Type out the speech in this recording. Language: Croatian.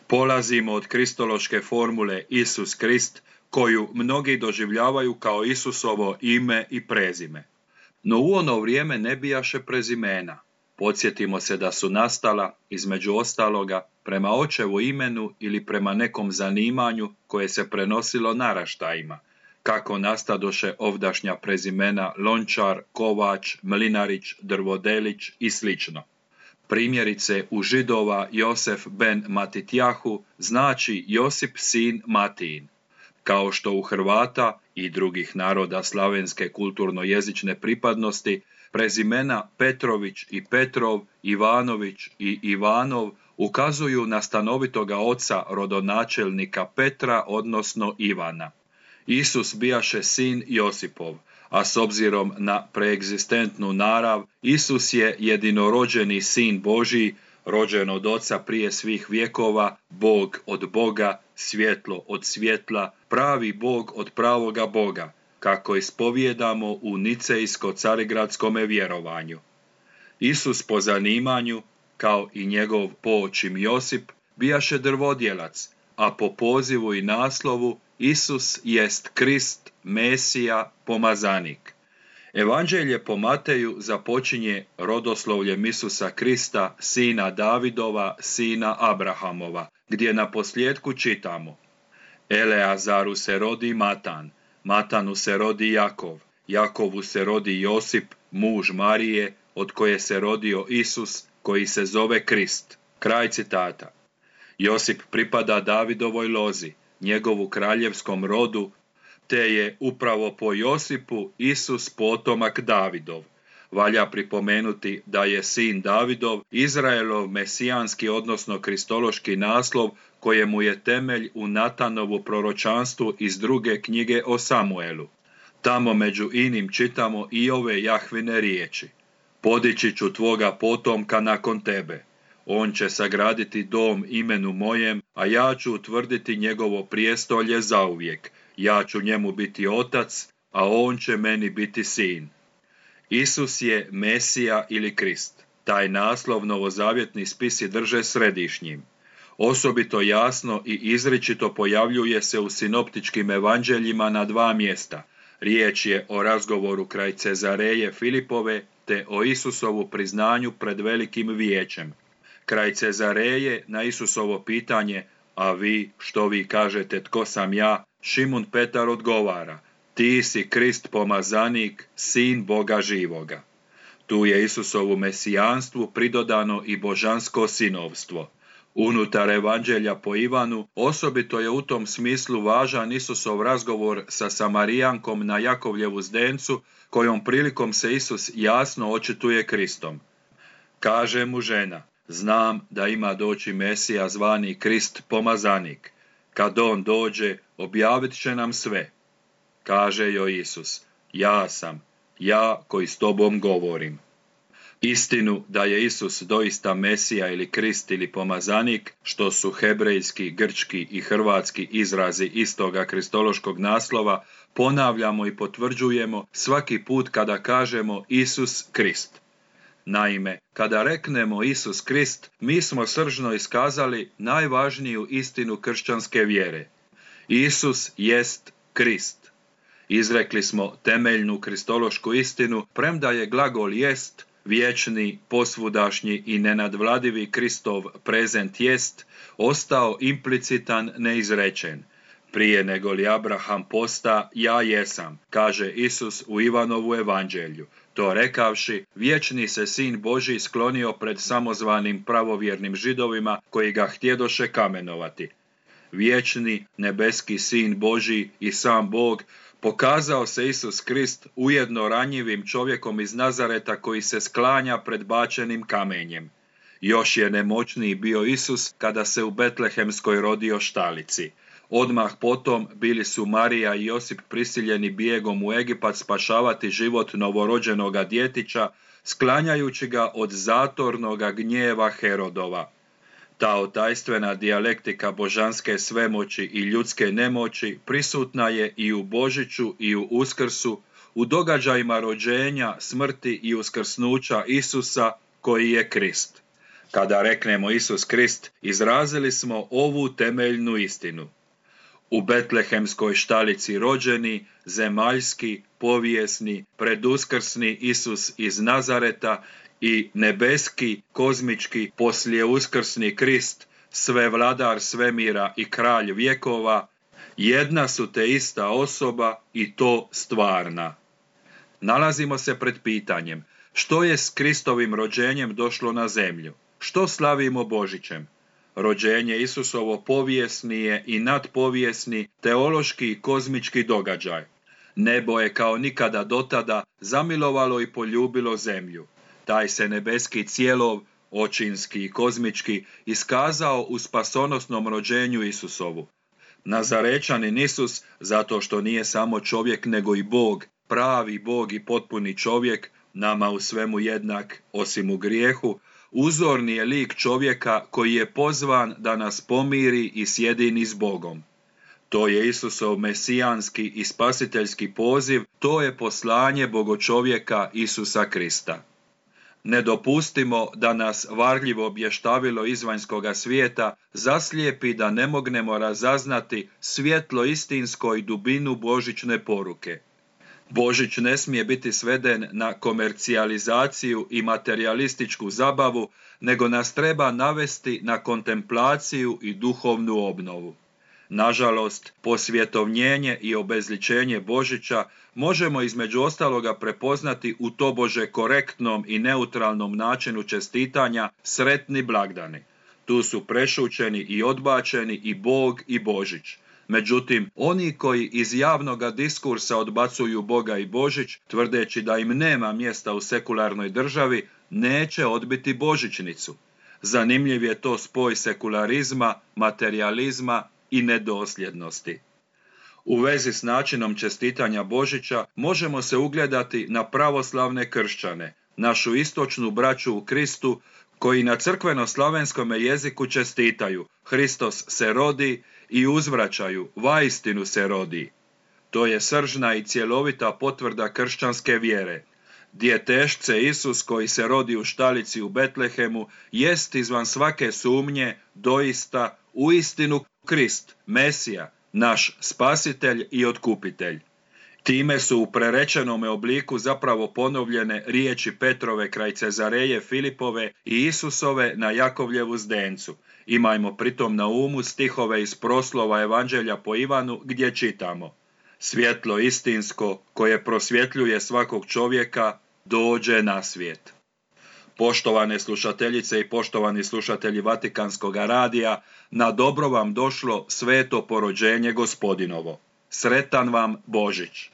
Polazimo od kristološke formule Isus Krist, koju mnogi doživljavaju kao Isusovo ime i prezime. No u ono vrijeme ne bijaše prezimena. Podsjetimo se da su nastala, između ostaloga, prema očevu imenu ili prema nekom zanimanju koje se prenosilo naraštajima, kako nastadoše ovdašnja prezimena Lončar, Kovač, Mlinarić, Drvodelić i sl. Primjerice, u Židova Josef ben Matitjahu znači Josip sin Matijin, kao što u Hrvata i drugih naroda slavenske kulturno-jezične pripadnosti prezimena Petrović i Petrov, Ivanović i Ivanov ukazuju na stanovitoga oca rodonačelnika Petra, odnosno Ivana. Isus bijaše sin Josipov, a s obzirom na preegzistentnu narav, Isus je jedinorođeni sin Božji, rođen od Oca prije svih vjekova, Bog od Boga, svjetlo od svjetla, pravi Bog od pravoga Boga, kako ispovijedamo u nicejsko-carigradskome vjerovanju. Isus po zanimanju, kao i njegov poočim Josip, bijaše drvodjelac, a po pozivu i naslovu Isus jest Krist, Mesija, pomazanik. Evanđelje po Mateju započinje rodoslovljem Isusa Krista, sina Davidova, sina Abrahamova, gdje na posljedku čitamo: Eleazaru se rodi Matan, Matanu se rodi Jakov, Jakovu se rodi Josip, muž Marije, od koje se rodio Isus, koji se zove Krist. Kraj citata. Josip pripada Davidovoj lozi, njegovu kraljevskom rodu, te je upravo po Josipu Isus potomak Davidov. Valja pripomenuti da je sin Davidov Izraelov mesijanski, odnosno kristološki naslov, kojemu je temelj u Natanovu proročanstvu iz 2. knjige o Samuelu. Tamo među inim čitamo i ove Jahvine riječi: Podići ću tvoga potomka nakon tebe. On će sagraditi dom imenu mojem, a ja ću utvrditi njegovo prijestolje zauvijek. Ja ću njemu biti otac, a on će meni biti sin. Isus je Mesija ili Krist. Taj naslov novozavjetni spisi drže središnjim. Osobito jasno i izričito pojavljuje se u sinoptičkim evanđeljima na 2 mjesta. Riječ je o razgovoru kraj Cezareje Filipove te o Isusovu priznanju pred velikim vijećem. Kraj Cezareje na Isusovo pitanje: a vi, što vi kažete, tko sam ja? Šimun Petar odgovara: ti si Krist pomazanik, sin Boga živoga. Tu je Isusovu mesijanstvu pridodano i božansko sinovstvo. Unutar evanđelja po Ivanu osobito je u tom smislu važan Isusov razgovor sa Samarijankom na Jakovljevu zdencu, kojom prilikom se Isus jasno očituje Kristom. Kaže mu žena: znam da ima doći Mesija zvani Krist pomazanik. Kad on dođe, objavit će nam sve. Kaže joj Isus: ja sam, ja koji s tobom govorim. Istinu da je Isus doista Mesija ili Krist ili pomazanik, što su hebrejski, grčki i hrvatski izrazi istoga kristološkog naslova, ponavljamo i potvrđujemo svaki put kada kažemo Isus Krist. Naime, kada reknemo Isus Krist, mi smo sržno iskazali najvažniju istinu kršćanske vjere. Isus jest Krist. Izrekli smo temeljnu kristološku istinu, premda je glagol jest, vječni, posvudašnji i nenadvladivi Kristov prezent jest, ostao implicitan, neizrečen. Prije nego li Abraham posta, ja jesam, kaže Isus u Ivanovu evanđelju. To rekavši, vječni se sin Božji sklonio pred samozvanim pravovjernim Židovima koji ga htjedoše kamenovati. Vječni, nebeski sin Božji i sam Bog pokazao se Isus Krist ujedno ranjivim čovjekom iz Nazareta koji se sklanja pred bačenim kamenjem. Još je nemoćniji bio Isus kada se u betlehemskoj rodio štalici. Odmah potom bili su Marija i Josip prisiljeni bijegom u Egipat spašavati život novorođenoga djetića, sklanjajući ga od zatornoga gnjeva Herodova. Ta otajstvena dijalektika božanske svemoći i ljudske nemoći prisutna je i u Božiću i u Uskrsu, u događajima rođenja, smrti i uskrsnuća Isusa, koji je Krist. Kada reknemo Isus Krist, izrazili smo ovu temeljnu istinu. U betlehemskoj štalici rođeni, zemaljski, povijesni, preduskrsni Isus iz Nazareta i nebeski, kozmički, poslijeuskrsni Krist, svevladar svemira i kralj vjekova, jedna su te ista osoba i to stvarna. Nalazimo se pred pitanjem, što je s Kristovim rođenjem došlo na zemlju? Što slavimo Božićem? Rođenje Isusovo povijesni je i nadpovijesni, teološki i kozmički događaj. Nebo je kao nikada dotada zamilovalo i poljubilo zemlju. Taj se nebeski cijelov, očinski i kozmički, iskazao u spasonosnom rođenju Isusovu. Nazarečanin Isus, zato što nije samo čovjek nego i Bog, pravi Bog i potpuni čovjek, nama u svemu jednak osim u grijehu, uzorni je lik čovjeka koji je pozvan da nas pomiri i sjedini s Bogom. To je Isusov mesijanski i spasiteljski poziv, to je poslanje bogočovjeka Isusa Krista. Ne dopustimo da nas varljivo blještavilo izvanjskoga svijeta zaslijepi da ne mognemo razaznati svjetlo istinsko i dubinu božićne poruke. Božić ne smije biti sveden na komercijalizaciju i materijalističku zabavu, nego nas treba navesti na kontemplaciju i duhovnu obnovu. Nažalost, posvjetovnjenje i obezličenje Božića možemo između ostaloga prepoznati u tobože korektnom i neutralnom načinu čestitanja sretni blagdani. Tu su prešućeni i odbačeni i Bog i Božić. Međutim, oni koji iz javnoga diskursa odbacuju Boga i Božić, tvrdeći da im nema mjesta u sekularnoj državi, neće odbiti božićnicu. Zanimljiv je to spoj sekularizma, materijalizma i nedosljednosti. U vezi s načinom čestitanja Božića možemo se ugledati na pravoslavne kršćane, našu istočnu braću u Kristu, koji na crkveno-slavenskome jeziku čestitaju Hristos se rodi i uzvraćaju vaistinu se rodi. To je sržna i cjelovita potvrda kršćanske vjere. Djetešce Isus koji se rodi u štalici u Betlehemu jest izvan svake sumnje doista uistinu Krist, Mesija, naš spasitelj i otkupitelj. Time su u prerečenome obliku zapravo ponovljene riječi Petrove kraj Cezareje Filipove i Isusove na Jakovljevu zdencu. Imajmo pritom na umu stihove iz proslova Evanđelja po Ivanu gdje čitamo: svjetlo istinsko koje prosvjetljuje svakog čovjeka dođe na svijet. Poštovane slušateljice i poštovani slušatelji Vatikanskog radija, na dobro vam došlo sveto porođenje Gospodinovo. Sretan vam Božić!